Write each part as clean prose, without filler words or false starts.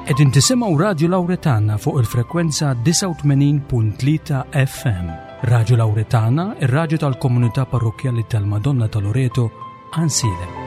Qegħdin tisimgħu Radju Lawretana fuq il-frekwenza 89.3 FM. Radju Lawretana, ir-radju tal-komunità parrokkjali tal-Madonna ta' Loreto, Ansiedem.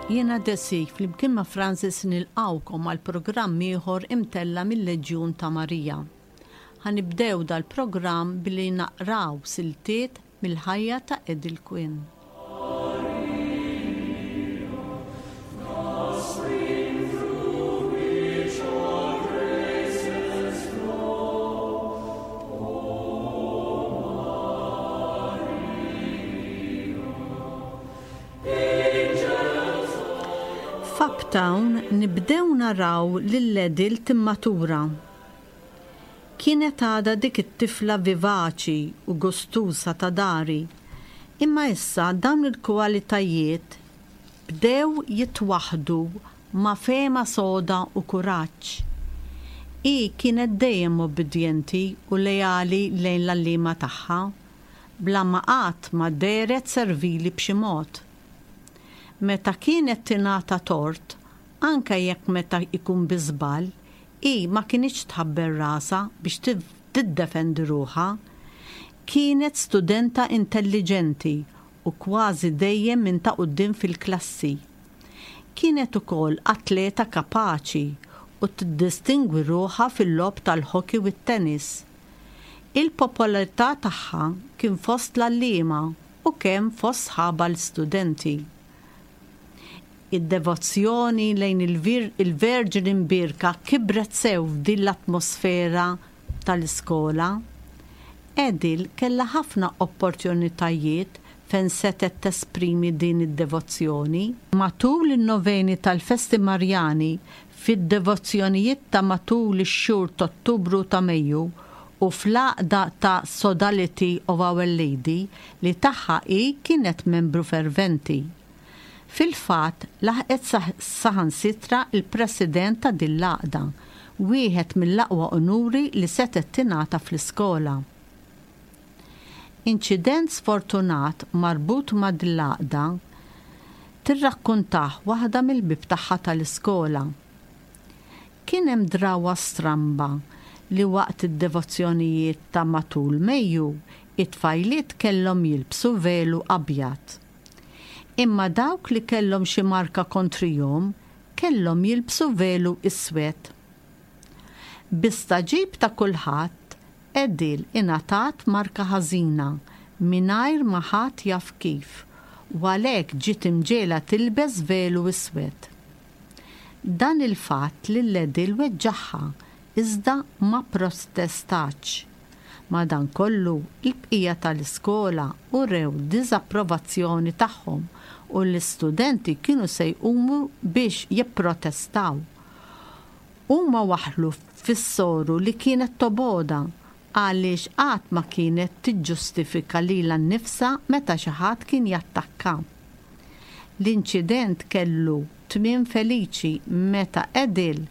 Jiena Desi, flimkien ma' Francis nilqgħukom għal programm ieħor imtella' mil-Leġjun ta' Marija. Ħa nibdew dal-programm billi naqraw siltiet mill-ħajja ta' Edel Quinn. F'Uptown nibdew naraw lil Edel timmatura. Kienet għadha dik it-tifla vivaċi u gustuża ta' dari, imma issa dawn il-kwalitajiet bdew jitwaħħdu ma' fehma soda u kuraġġ. Hi kienet dejjem ubbidjenti u leali lejn l-għalliema tagħha, bla ma qatt ma dehret servili b'xi mod. Meta kienet tingħata tort, anke jekk meta jkun bi żball, Hi ma kinitx tħabbel rasha biex tiddefendi ruħha. Kienet studenta intelliġenti u kważi dejjem minn ta' quddiem fil-klassi. Kienet ukoll atleta kapaċi u tiddistingwi ruħha fil-logħob tal-hockey u t-tennis. Il-popolarità tagħha kien fost l-għalliema u kemm fost sħabha l-istudenti. Id-devozzjoni lejn il-Verġni Mbierka kibret sew f'din l-atmosfera tal-iskola. Edil kellha ħafna opportunitajiet fejn setgħet tesprimi din id-devozzjoni. Matul in-noveni tal-festi Marjani, fid-devozzjonijiet ta' matul ix-xhur t'Ottubru u ta' Mejju, u fl-għaqda ta' Sodality of Our Lady li tagħha hi kienet membru ferventi. Fil-fatt, laħqet saħansitra l-president ta' din l-għaqda, wieħed mill-aqwa unuri li setgħet tingħata fl-iskola. Inċident sfortunat marbut ma' din l-għaqda tirrakkuntah waħda mill-ħbieb tagħha tal-iskola. Kien hemm drawwa stramba li waqt id-devozzjonijiet ta' matul Mejju, it-tfajliet kellhom jilbsu velu abjad. Imma dawk li kellhom xi marka kontrihom kellhom jilbsu velu iswed. Bi stagħġib ta' kulħadd, Edil ingħatat marka ħażina mingħajr ma ħadd jaf kif u għalhekk ġiet imġegħla tilbes velu iswed. Dan il-fatt lil Edil weġġagħha iżda ma pprotestatx. Madankollu, il-bqija tal-iskola urew diżapprovazzjoni tagħhom u l-istudenti kienu se jqumu biex jipprotestaw. Huma waħħlu fis-soru li kienet tobgħodha għaliex qatt ma kienet tiġġustifika lilha nnifsha meta xi ħadd kien jattakka. L-inċident kellu tmiem feliċi meta Edil,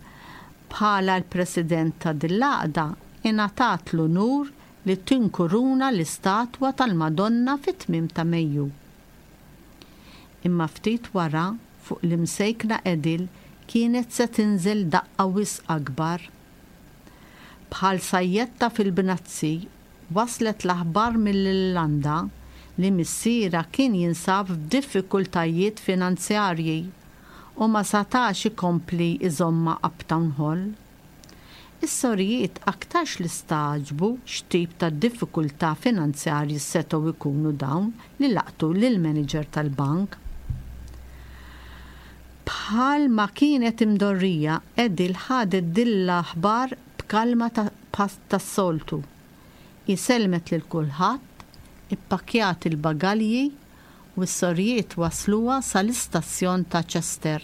bħala l-President ta' din l-għaqda, ingħatat l-unur li tinkuruna l-istatwa tal-Madonna fit-tmiem ta' Mejju. Imma ftit wara, fuq l-imsejkna Edil kienet se tinżel daqqa wisq akbar. Bħal sajjetta fil-bnazzi, waslet l-aħbar mill-Irlanda li missierha kien jinsab f'diffikultajiet finanzjarji u ma satax ikompli jżommha Uptown Hall. Is-sorijiet aktarx li stagħġbu x'tip ta' diffikultà finanzjarji setgħu jkunu dawn li laqtu lill-manager tal-bank. Bħal ma kienet imdorrija, Edil ħadet din l-aħbar b'kalma tas-soltu. Hi sellmet lil kulħadd, ippakkjat il-bagalji u s-sorijiet wassluha sal-istazzjon ta' Chester.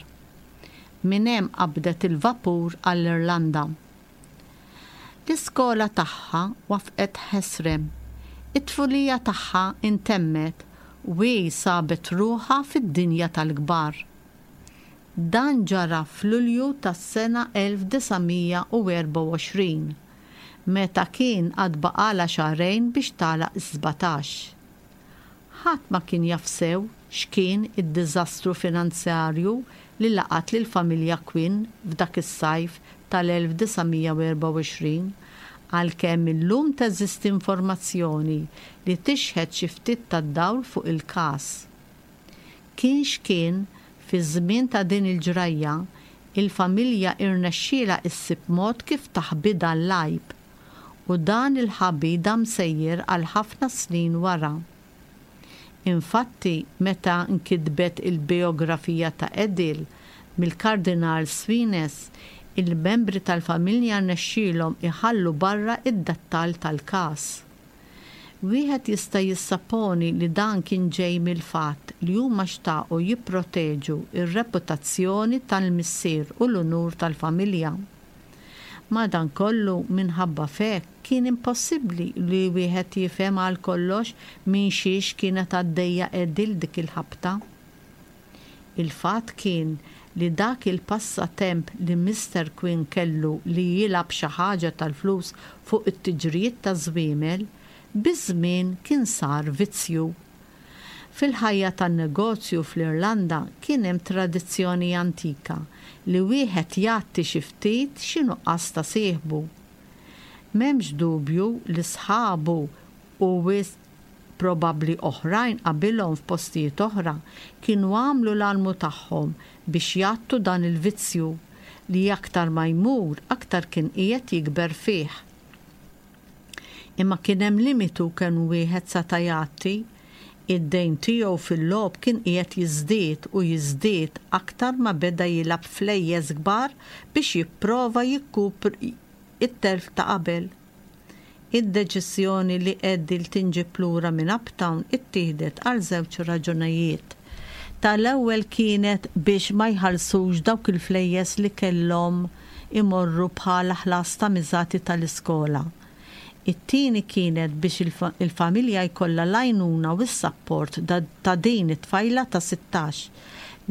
Minn hemm qabdet il-vapur għall-Irlanda. L-iskola tagħha wafqet ħesrem. It-tfulija tagħha intemmet u hi sabet ruħha fid-dinja tal-kbar. Dan ġara f'Lulju tas-sena 1924, meta kien għad baqgħalha xahrejn biex tagħlaq is-sbatax. Ħadd ma kien jaf sew x'kien id-diżastru finanzjarju li laqat lill-familja Quinn f'dak is-sajf tal-1924, għalkemm illum teżisti informazzjoni li tixħet xi ftit tad-dawl fuq il-każ. Kien x'kien, fiż-żmien ta' din il-ġrajja, il-familja irnexxielha issib mod kif taħbi dan l-għajb. U dan il-ħabi dam sejjer għal ħafna snin wara. Infatti, meta nkitbet il-bijografija ta' Edil mill-Kardinal Svines, il-membri tal-familja rnexxielhom iħallu barra d-dettall tal-każ. Wieħed jista' jissapponi li dan kien ġej mill-fatt li huma xtaqu jipproteġu r-reputazzjoni tal-missier u l-unur tal-familja. Madankollu, minħabba f'hekk, kien impossibbli li wieħed jifhem għal kollox minn xiex kienet għaddejja Edil dik il-ħabta. Il-fatt kien li dak il-passatemp li Mister Quinn kellu li jilgħab xi ħaġa tal-flus fuq it-tiġrijiet taż-żwiemel, biż-żmien kien sar vizzju. Fil-ħajja tan-negozju fl-Irlanda kien hemm tradizzjoni antika li wieħed jgħatti xi ftit xi nuqqas ta' sieħbu. M'hemmx dubju li sħabu u wisq probabbli oħrajn qabilhom f'postijiet oħra kienu għamlu l-almu tagħhom biex jgħattu dan il-vizzju li aktar ma jmur aktar kien qiegħed jikber fih. Imma kien hemm limitu kemm wieħed seta' jgħatti. Id-dejn tiegħu fil-logħob kien qiegħed jiżdied u jiżdied aktar ma beda jilgħab flejjes kbar biex jipprova jikkupra t-telf ta' qabel. Id-deċiżjoni li Edil tinġieb lura minn Uptown ittieħdet għal żewġ raġunajiet. Tal-ewwel kienet biex ma jħallsux dawk il-flejjes li kellhom imorru bħala ħlas ta' miżati tal-iskola. It-tieni kienet biex il-familja jkollha l-għajnuna u s-sapport ta' din it-tfajla ta' 16,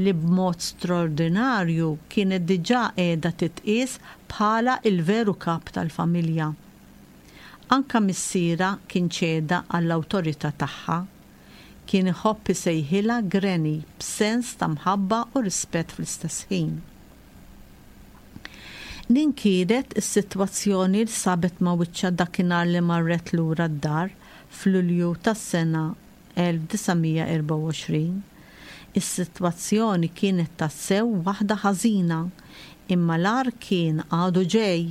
li b'mod straordinarju kienet diġà qiegħda titqies bħala l-veru kap tal-familja. Anke missierha kien ċeda għall-awtorità tagħha. Kien iħobb isejħilha Granny b'sens ta' mħabba u rispett fl-istess ħin. Din kienet is-sitwazzjoni li sabet ma' wiċċha dakinhar li marret lura d-dar f'Lulju tas-sena 1924. Is-sitwazzjoni kienet tassew waħda ħażina, imma l-agħar kien għadu ġej.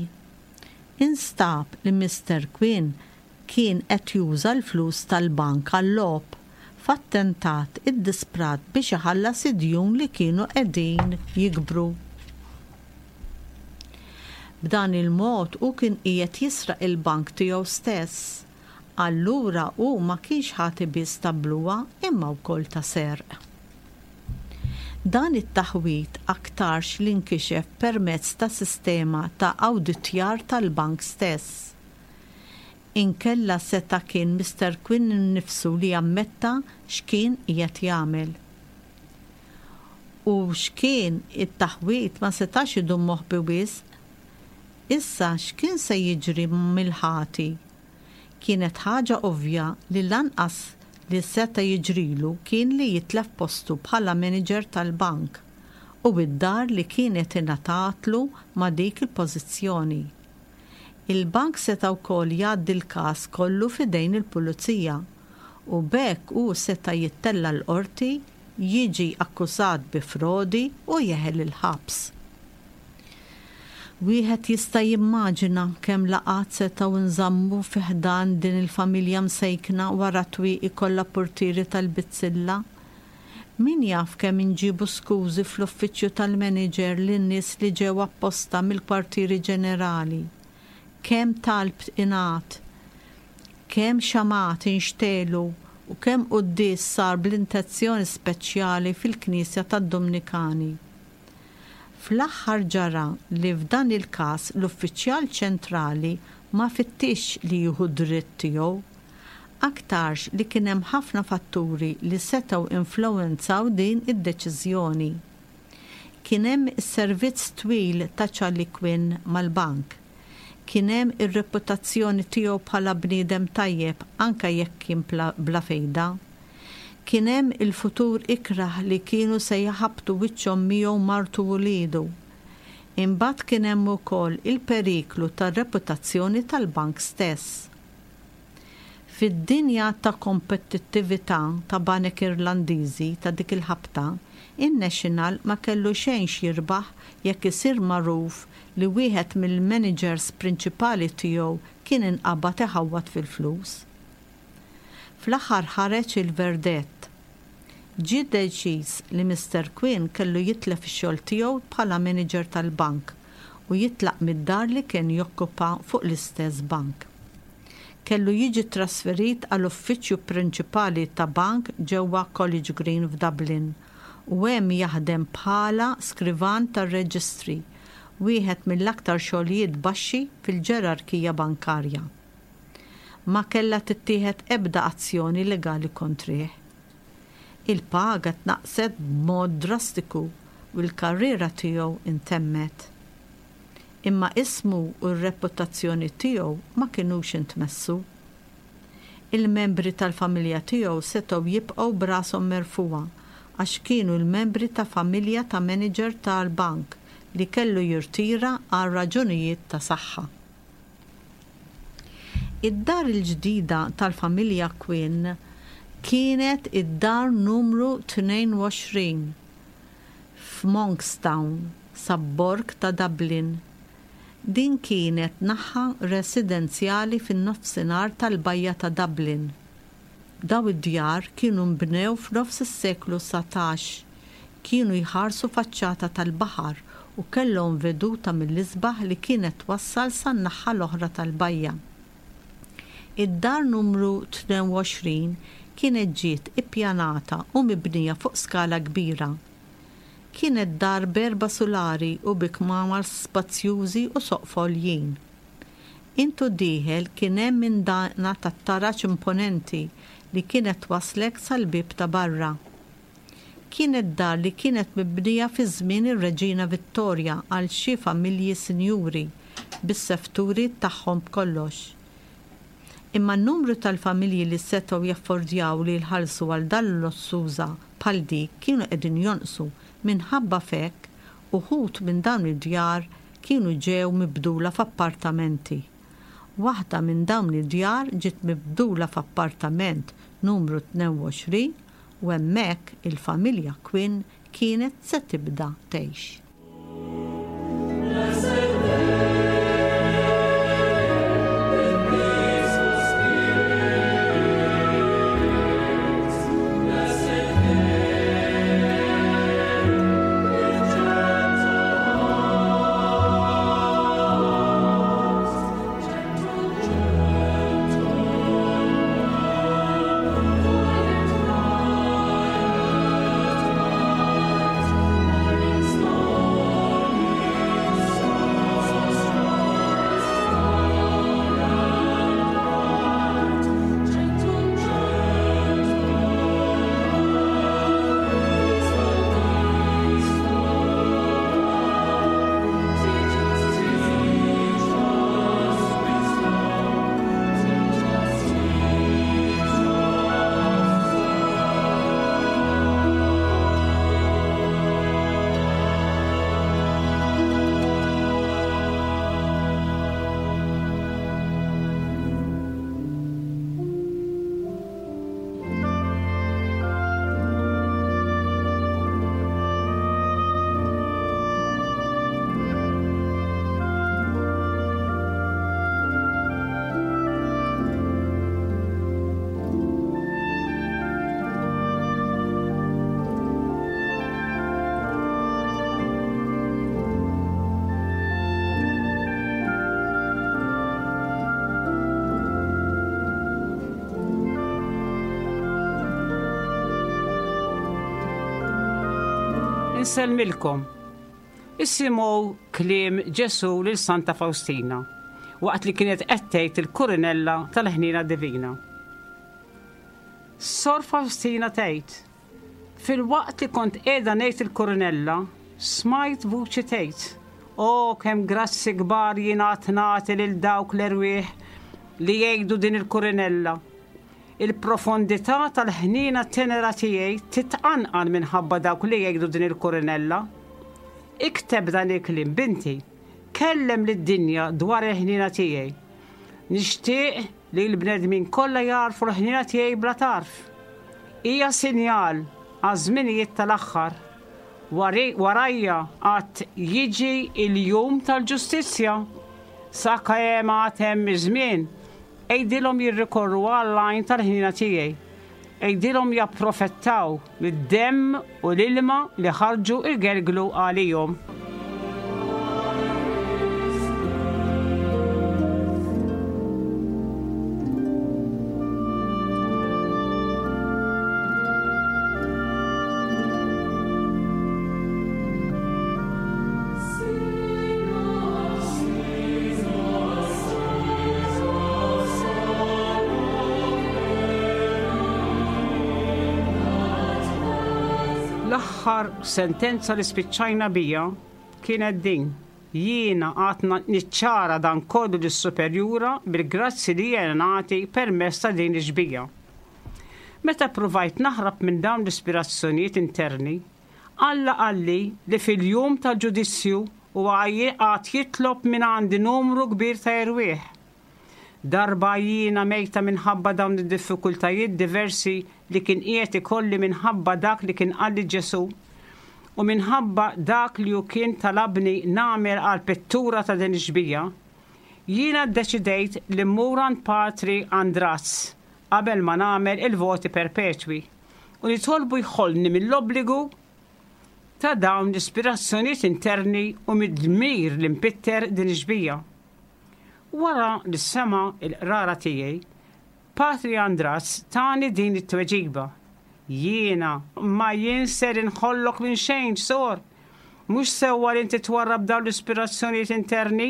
Instab li Mister Quinn kien qed juża l-flus tal-bank għal-logħob, f'attentat iddisprat biex iħallas id-djun li kienu qegħdin jikbru. B'dan il-mod hu kien qiegħed jisraq il-bank tiegħu stess. Allura hu ma kienx ħati biss ta' bluha imma wkoll ta' serq. Dan it-taħwid aktarx li nkixef permezz ta' sistema ta' awditjar tal-bank stess. Inkella seta' kien Mister Quinn innifsu li ammetta x'kien qiegħed jagħmel. U x'kien it-taħwid ma setax idum moħbi wisq. Issa x'kien se jiġri mill-ħati? Kienet ħaġa ovvja li l-anqas li seta' jiġrilu kien li jitlef postu bħala manager tal-bank u d-dar li kienet ingħatatlu ma' dik il-pożizzjoni. Il-bank seta' wkoll jgħaddi l-każ kollu f'idejn il-pulizija u b'hekk hu seta' jittella' l-qorti, jiġi akkużat bi frodi u jeħel il-ħabs. Wieħed jista' jimmaġina kemm laqgħat setgħu nżammu fi ħdan din il-familja msejkna wara twieqi kollha purtieri tal-bizzilla. Min jaf kemm inġiebu skużi fl-uffiċċju tal-manager lin-nies li ġew apposta mill-kwartieri ġenerali. Kemm talb ingħad. Kemm xamgħat inxtegħlu u kemm quddies sar bl-intezzjoni speċjali fil-knisja tad-Dumnikani. Fl-aħħar ġara li f'dan il-każ l-uffiċjal ċentrali ma fittixx li jieħu d-dritt tiegħu. Aktarx li kien hemm ħafna fatturi li setgħu influwenzaw din id-deċiżjoni. Kien hemm is-servizz twil ta' Charlie Quinn mal-bank. Kien hemm ir-reputazzjoni tiegħu bħala bniedem tajjeb anke jekk kien bla fejda. Kien hemm il-futur ikrah li kienu se jħabbtu wiċċhom miegħu martu u wliedu. Imbagħad kien hemm ukoll il-periklu tar-reputazzjoni tal-bank stess. Fid-dinja ta' kompetittività ta' banek Irlandiżi ta' dik il-ħabta, in-National ma kellu xejn x'jirbaħ jekk isir magħruf li wieħed mill-maniġers prinċipali tiegħu kien inqabad iħawwad fil-flus. Fl-aħħar ħareġ il-verdett. Ġie deċiż li Mister Quinn kellu jitlef ix-xogħol tiegħu bħala manager tal-bank u jitlaq mid-dar li kien jokkupa fuq l-istess bank. Kellu jiġi trasferit għal uffiċċju prinċipali ta' bank ġewwa College Green f'Dublin u hemm jaħdem bħala skrivan tar-reġistri, wieħed mill-aktar xogħlijiet baxxi fil-ġerarkija bankarja. Ma kellha tittieħed ebda azzjoni legali kontrih. Il-paga tnaqqset b'mod drastiku u l-karriera tiegħu ntemmet. Imma ismu u r-reputazzjoni tiegħu ma kinux intmessu. Il-membri tal-familja tiegħu setgħu jibqgħu b'rashom merfugħa għax kienu l-membri ta' familja ta' manager tal-bank li kellu jirtira għal raġunijiet ta' saħħa. Id-dar il-ġdida tal-familja Quinn kienet id-dar numru 22 f'Monkstown, sabborg ta' Dublin. Din kienet naħa residenzjali fin-nofsinhar tal-bajja ta' Dublin. Dawn id-djar kienu nbnew f'nofs is-seklu 19, kienu jħarsu faċċata tal-baħar u kellhom veduta mill-isbaħ li kienet twassal san-naħa l-oħra tal-bajja. Id-dar numru 22 kienet ġiet ippjanata u mibnija fuq skala kbira. Kienet dar b'erba' sulari u bi kmamar spazjużi u soqfa għoljin. Int u dieħel kien hemm indana tat-taraġ imponenti li kienet twasslek sal-bieb ta' barra. Kienet dar li kienet mibnija fi żmien ir-Reġina Vittorja għal xi familji sinjuri bis-sefturi tagħhom b'kollox. Imma n-numru tal-familji li setgħu jaffordjaw li jħallsu għal dar lussuża bħal dik kienu qegħdin jonqsu minħabba f'hekk uħud minn dawn id-djar kienu ġew mibdula f'appartamenti. Waħda minn dawn id-djar ġiet mibdula f'appartament numru 22 u hemmhekk il-familja Quinn kienet se tibda tgħix. Insellmilkom. Isimgħu kliem Ġesù lil Santa Faustina waqt li kienet qed tgħid il-Kurinella tal-Ħniena Divina. Sor Faustina tgħid, Filwaqt li kont qiegħda ngħid il-Kurinella, smajt vuċi tgħid, O kemm grazzi kbar jien għad nagħti lil dawk l-erwieħ li jgħidu din il-Kurinella. Il-profondità tal-ħniena tenera tiegħi titqanqal minħabba dawk li jgħidu din il-Kurinella. Ikteb dan il-kliem, binti. Kellem lid-dinja dwar il-ħniena tiegħi. Nixtieq li l-bnedmin kollha jagħrfu l-ħniena tiegħi bla tarf. Hija sinjal għaż-żminijiet tal-aħħar. Warajja għad jiġi l-jum tal-ġustizzja. Sakemm għad hemm iż-żmien, Għidilhom jirrikorru għall-għajn tal-ħniena tiegħi. Għidilhom japprofettaw mid-demm u l-ilma li ħarġu jgelglu għalihom. L-aħħar sentenza li spiċċajna bija kienet din, Jiena għad niċċara dan kollu lis-superjura bil-grazzi li jiena nagħti permezz ta' din ix-xbieha. Meta ppruvajt naħrab minn dawn l-ispirazzjonijiet interni, Alla qalli li fil-jum tal-ġudizzju huwa għad jitlob mingħandi numru kbir ta' erwieħ. Darba jiena mejta minħabba dawn id-diffikultajiet diversi li kien qiegħed ikolli minħabba dak li kien qalli Ġesù u minħabba dak li hu kien talabni nagħmel għall-pittura ta' din ix-xbieha, jiena ddeċidejt li mmur għand Patri Andraz qabel ma nagħmel il-voti perpetwi. U nitolbu jħollni mill-obbligu ta' dawn l-ispirazzjonijiet interni u mid-dmir li npitter din ix-xbieha. Wara li sema' l-qrara tiegħi, Patri Andras tani din it-tweġiba, Jiena ma jien ser inħollok minn xejn, Sor. Mhux sewwa li inti twarrab dawn l-ispirazzjonijiet interni,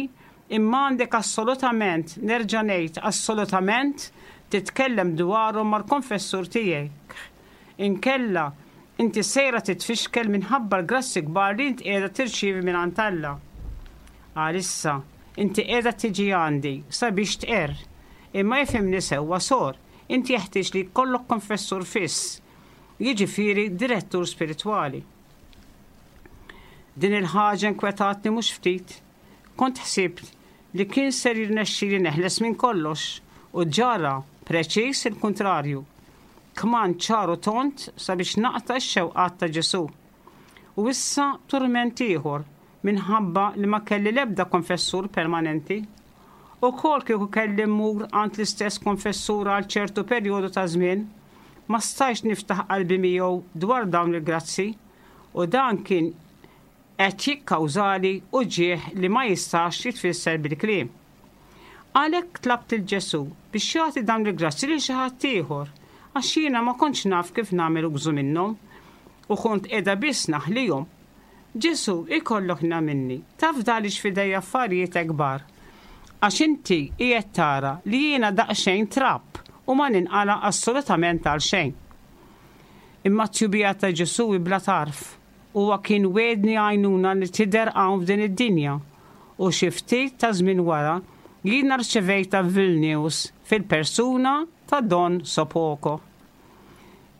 imma għandek assolutament, nerġa' ngħid assolutament, titkellem dwarhom mal-konfessur tiegħek. Inkella, inti sejra titfixkel minħabba l-grazzji kbar li int qiegħda tirċievi mingħand Alla. Għalissa, inti qiegħda tiġi għandi sabiex tqerr. Imma ifhimni sewwa, Sor, inti jeħtieġ li jkollok konfessur fiss, jiġifieri direttur spiritwali. Din il-ħaġa inkwetatni mhux ftit. Kont ħsibt li kien ser jirnexxili neħles minn kollox u ġara preċiż il-kuntrarju. Kmand ċar u tond sabiex naqta' x-xewqat ta' Ġesù. U issa turment ieħor minħabba li ma kelli l-ebda konfessur permanenti. Ukoll kieku kelli mmur għand l-istess konfessur għal ċertu perjodu ta' żmien, ma stajtx niftaħ qalbi miegħu dwar dawn il-grazzi u dan kien qed jikkawżali uġigħ li ma jistax jitfisser bil-kliem. Għalhekk tlabt lil Ġesù biex jagħti dawn il-grazzji lil xi ħadd ieħor, għax jiena ma kontx naf kif nagħmel użu minnhom u kont qiegħda biss naħlihom. Ġesù, ikollok ħniena minni, tafdalix f'idejja affarijiet hekk kbar, għax inti qiegħed tara li jiena daqsxejn trab u ma ninqala' assolutament għal xejn. Imma t-tjubija ta' Ġesù hi bla tarf. Huwa kien wegħdni għajnuna li tidher hawn f'din id-dinja, u xi ftit ta' żmien wara jiena rċevejtha f'Vilnius fil-persuna ta' Don Sopocko.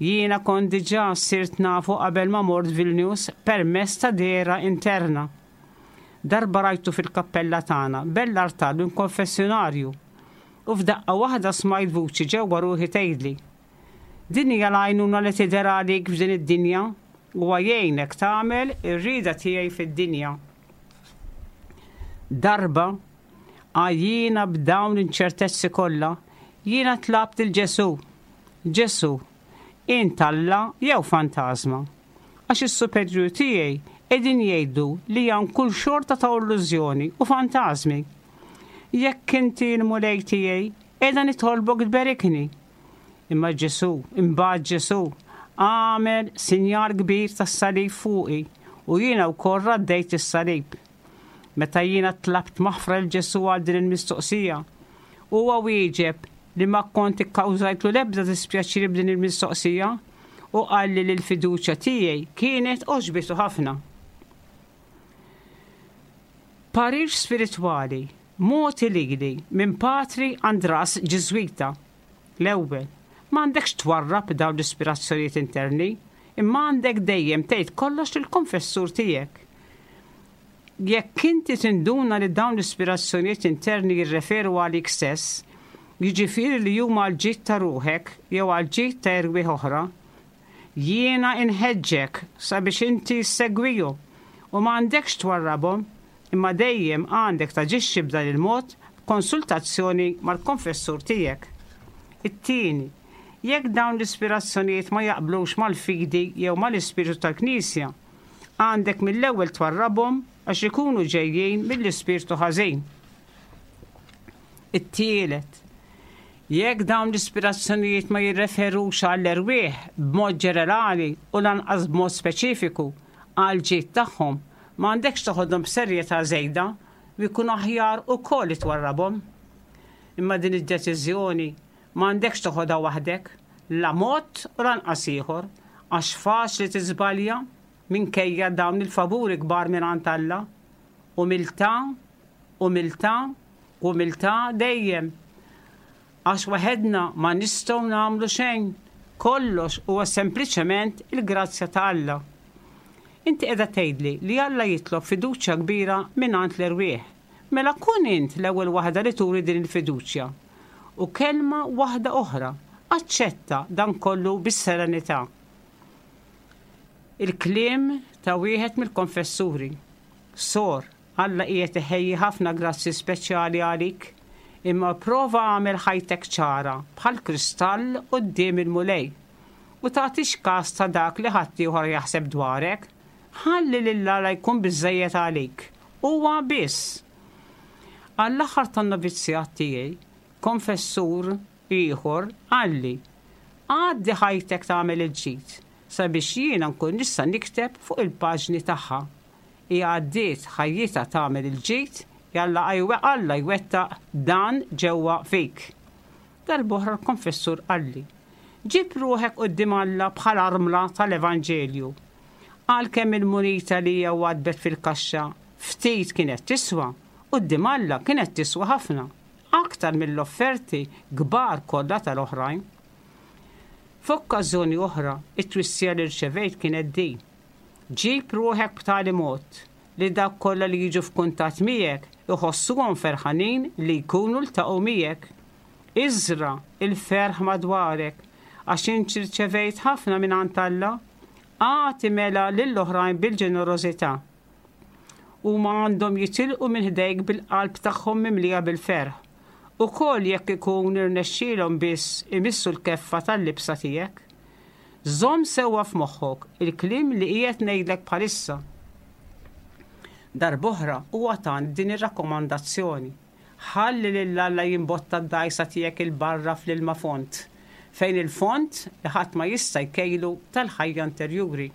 Jiena kont diġà sirt nafu qabel ma mort Vilnius permezz ta' dehra interna. Darba rajtu fil-kappella tagħna bell-artal u l-konfessjonarju, u f'daqqa waħda smajt vuċi ġewwa ruħi tgħidli, Din hija l-għajnuna li tidher għalik f'din id-dinja, huwa jgħinek tagħmel ir-rieda tiegħi fid-dinja. Darba, għajjiena b'dawn l-inċertezzi kollha, jiena tlabt lil Ġesù, Ġesù, int Alla jew fantażma? Għax is-superjuri tiegħi qegħdin jgħidu li hawn kull xorta ta' illużjoni u fantażmi. Jekk inti l-Mulej tiegħi, qiegħda nitolbok tberikni. Imma Ġesù, imbagħad Ġesù, għamel sinjal kbir tas-salib fuqi. U jiena wkoll raddejt is-salib. Meta jiena tlabt maħfra lil Ġesù għal din il-mistoqsija, huwa wieġeb li ma kont ikkawżajtlu l-ebda dispjaċir b'din il-mistoqsija u qalli li l-fiduċja tiegħi kienet għoġbitu ħafna. Parir spiritwali mogħti lili minn Patri Andras Ġiżwita. L-ewwel, m'għandekx twarrab dawn l-ispirazzjonijiet interni, imma għandek dejjem tgħid kollox lill-konfessur tiegħek. Jekk inti tinduna li dawn l-ispirazzjonijiet interni jirreferu għalik stess, jiġifieri li huma għall-ġid ta' ruħek jew għall-ġid ta' erwieħ oħra, jiena inħeġġek sabiex inti ssegwihom u m'għandekx twarrabhom, imma dejjem għandek taġixxi b'dan il-mod b'konsultazzjoni mal-konfessur tiegħek. It-tieni, jekk dawn l-ispirazzjonijiet ma jaqblux mal-fidi jew mal-ispirtu tal-Knisja, għandek mill-ewwel twarrabhom għax ikunu ġejjin mill-ispirtu ħażin. It-tielet, jekk dawn l-ispirazzjonijiet ma jirreferux għall-erwieħ b'mod ġenerali u lanqas b'mod speċifiku għall-ġid tagħhom, m'għandekx toħodhom b'serjetà żejda u jkun aħjar ukoll li twarrabhom. Imma din id-deċiżjoni m'għandekx toħodha waħdek, la mod u lanqas ieħor, għax faċli tiżbalja minkejja dawn il-favuri kbar mingħand Alla. Umiltà, umiltà, umiltà dejjem. Għax waħedna ma nistgħu nagħmlu xejn, kollox huwa sempliċement il-grazzja ta' Alla. Inti qiegħda tgħidli li Alla jitlob fiduċja kbira mingħand l-erwieħ. Mela kun int l-ewwel waħda li turi din il-fiduċja. U kelma waħda oħra, aċċetta dan kollu bis-serenità. Il-kliem ta' wieħed mill-konfessuri. Sor, Alla qiegħed iħejji ħafna grazzji speċjali għalik, imma pprova agħmel ħajtek ċara bħall-kristall quddiem il-Mulej. U tagħtix kas ta' dak li ħaddieħor jaħseb dwarek. Ħalli lil Alla jkun biżżejjed għalik. Huwa biss. Għall-aħħar tan-novizzjat tiegħi, konfessur ieħor qalli, Għaddi ħajtek tagħmel il-ġid, sabiex jiena nkun nista' nikteb fuq il-paġni tagħha. Hi għaddiet ħajjitha tagħmel il-ġid, jalla Alla jwettaq dan ġewwa fik. Darb'oħra l-konfessur qalli, Ġib ruħek quddiem Alla bħal armla tal-Evanġelju. Għalkemm il-munita li hija waddbet fil-kaxxa ftit kienet tiswa, quddiem Alla kienet tiswa ħafna, aktar mill-offerti kbar kollha tal-oħrajn. F'okkażjoni oħra, it-twissija li rċevejt kienet din, Ġib ruħek b'tali mod li dawk kollha li jiġu f'kuntatt miegħek iħossuhom ferħanin li jkunu ltaqgħu miegħek. Iżra' l-ferħ madwarek, għax int rċevejt ħafna mingħand Alla, agħti mela lill-oħrajn bil-ġenerożità. Huma għandhom jitilqu minn ħdejk bil-qalb tagħhom mimlija bil-ferħ, ukoll jekk ikun irnexxielhom biss imissu l-keffa tal-libsa tiegħek. Żomm sewwa f'moħħok il-kliem li qiegħed ngħidlek bħalissa. Darb'oħra huwa tani din ir-rakkomandazzjoni, Ħalli lil Alla jimbotta d-dgħajsa tiegħek 'il barra fl-ilma fond, fejn il-fond li ħadd ma jista' jkejlu tal-ħajja interjuri.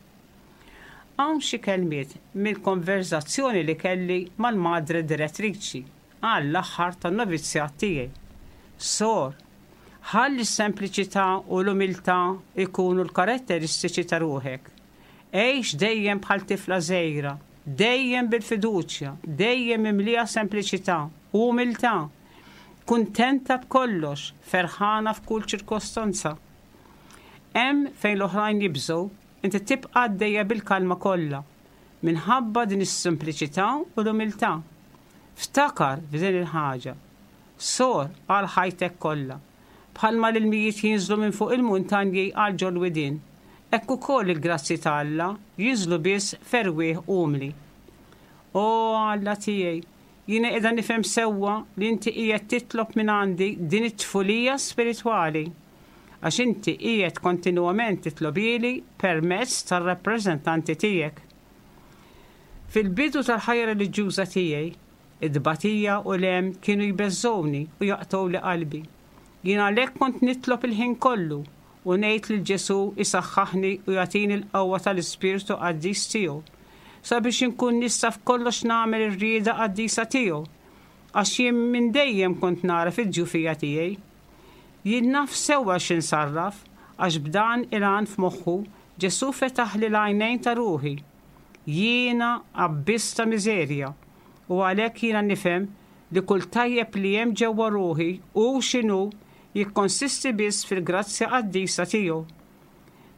Hawn xi kelmiet mill-konverżazzjoni li kelli mal-Madre Direttriċi għall-aħħar tan-novizzjat tiegħi. Sor, ħalli s-sempliċità u l-umiltà jkunu l-karatteristiċi ta' ruħek. Għix dejjem bħal tifla żgħira, dejjem bil-fiduċja, dejjem mimlija sempliċità u umiltà, kuntenta b'kollox, ferħana f'kull ċirkostanza. Hemm fejn l-oħrajn jibżgħu, inti tibqa' għaddejja bil-kalma kollha, minħabba din is-sempliċità u l-umiltà. Ftakar f'din il-ħaġa. Sor għal ħajtek kollha. Bħalma l-ilmijiet jinżlu minn fuq il-muntanji għal ġol-widien, hekk ukoll il-grazzji ta' Alla jinżlu biss f'erwieħ umli. O Alla tiegħi, jiena qiegħda nifhem sewwa li inti qiegħed titlob mingħandi din it-tfulija spiritwali, għax inti qiegħed kontinwament titlobhieli permezz tar-rappreżentanti tiegħek. Fil-bidu tal-ħajja reliġjuża tiegħi, It-tbatija u l-hemm kienu jbeżżgħuni u jaqtgħuli qalbi. Jien għalhekk kont nitlob il-ħin kollu u ngħid lil Ġesù jsaħħaħni u jagħtini l-qawwa tal-Ispirtu Qaddis tiegħu. sabiex inkun nista' f'kollox nagħmel ir-rieda qaddisa tiegħu, għax jien minn dejjem kont nagħraf id-djufija tiegħi. Jien naf sewwa x'insarraf, għax b'dan il-għan f'moħħu, Ġesù fetaħli l-għajnejn ta' ruħi. Jiena abbiss ta' miżerja, u għalhekk jiena nifhem li kull tajjeb li hemm ġewwa ruħi, hu x'inhu, jikkonsisti biss fil-grazzja qaddisa tiegħu.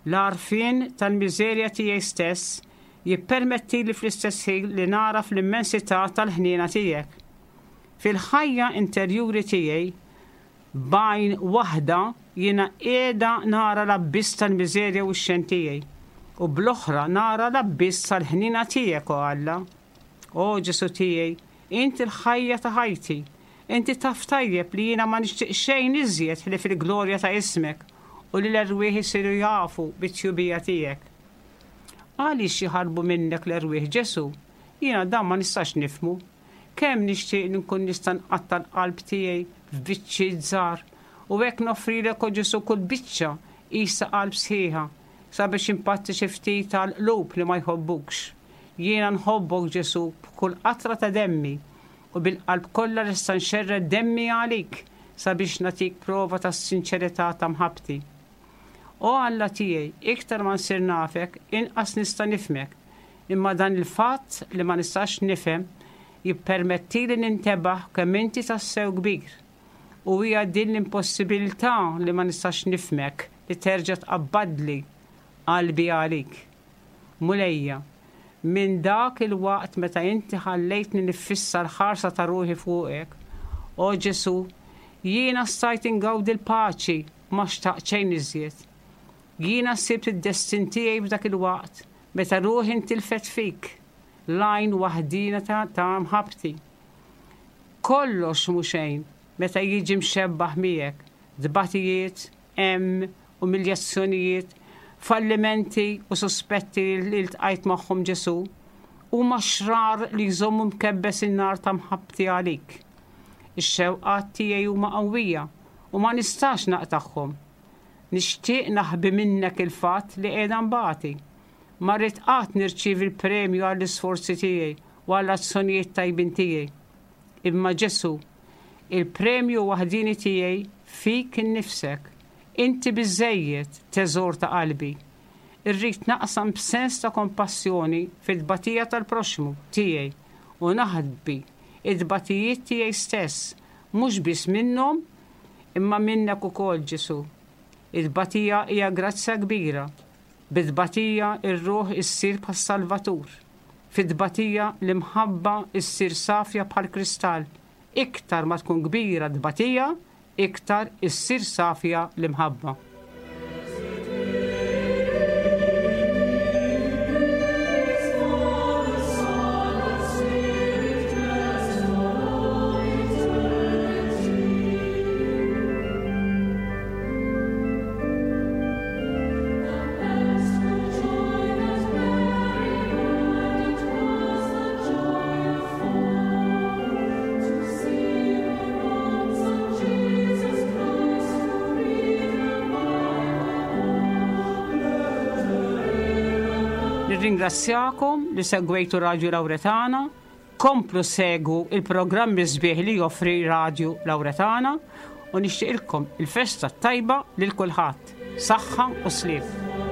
L-għarfien tal-miżerja tiegħi stess jippermettili fl-istess ħin li nagħraf l-immensità tal-ħniena tiegħek. Fil-ħajja interjuri tiegħi, b'għajn waħda jiena qiegħda nara l-abbiss tal-miżerja u x-xenn tiegħi, u bl-oħra nara l-abbiss tal-ħniena tiegħek, o Alla. O Ġesù tiegħi, int il-ħajja ta' ħajti. Inti taf tajjeb li jiena ma nixtieq xejn iżjed ħlief il-glorja ta' ismek u li l-erwieħ isiru jafu bit-tjubija tiegħek. Għaliex jaħarbu minnek l-erwieħ, Ġesù? Jiena dan ma nistax nifhmu. Kemm nixtieq li nkun nista' nqatta' l-qalb tiegħi f'biċċiet żgħar u hekk noffrilek, o Ġesù, kull biċċa qisha qalb sħiħa, sabiex inpatti xi ftit għall-qlub li ma jħobbukx. Jiena nħobbok, Ġesù, b'kull qatra ta' demmi, u bil-qalb kollha lesta nxerred demmi għalik sabiex nagħtik prova tas-sinċerità ta' mħabbti. O Alla tiegħi, iktar ma nsir nafek, inqas nista' nifhmek. Imma dan il-fatt li ma nistax nifhem jippermettili nintebaħ kemm inti tassew kbir. U hija din l-impossibilità li ma nistax nifhmek li terġa' tqabbadli qalbi għalik. Mulejja, minn dak il-waqt meta inti ħallejtni niffissa l-ħarsa ta' ruħi fuqek, o Ġesù, jiena stajt ingawdi l-paċi u ma xtaqt xejn iżjed. Jiena sibt id-destin tiegħi f'dak il-waqt meta ruħi ntilfet fik, l-għajn waħdiena ta' mħabbti. Kollox mhu xejn meta jiġi mxebbah miegħek, tbatijiet, hemm, umiljazzjonijiet, fallimenti u suspetti li ltqajt magħhom Ġesù, huma xrar li jżommu mkebbes in-nar ta' mħabbti għalik. Ix-xewqat tiegħi huma qawwija u ma nistax naqtagħhom. Nixtieq naħbi minnek il-fatt li qiegħda nbati. Ma rrid qatt nirċievi l-premju għall-isforzi tiegħi u għall-azzjonijiet tajbin tiegħi. Imma Ġesù, il-premju waħdieni tiegħi fik innifsek. Inti biżżejjed, teżor ta' qalbi. Irrid naqsam b'sens ta' kompassjoni fit-tbatija tal-proxxmu tiegħi u naħbi t-tbatijiet tiegħi stess, mhux biss minnhom, imma minnek ukoll, Ġesù. It-tbatija hija grazzja kbira. Bit-tbatija r-ruħ issir bħas-Salvatur. Fit-tbatija l-imħabba ssir safja bħall-kristall. Iktar ma tkun kbira t-tbatija, iktar issir safja l-imħabba. Nirringrazzjakom li segwejtu Radju Lawretana. Komplu segwu il-programmi sbieħ li joffri Radju Lawretana u nixtieqilkom il-festa t-tajba lil kulħadd. Saħħa u sliem.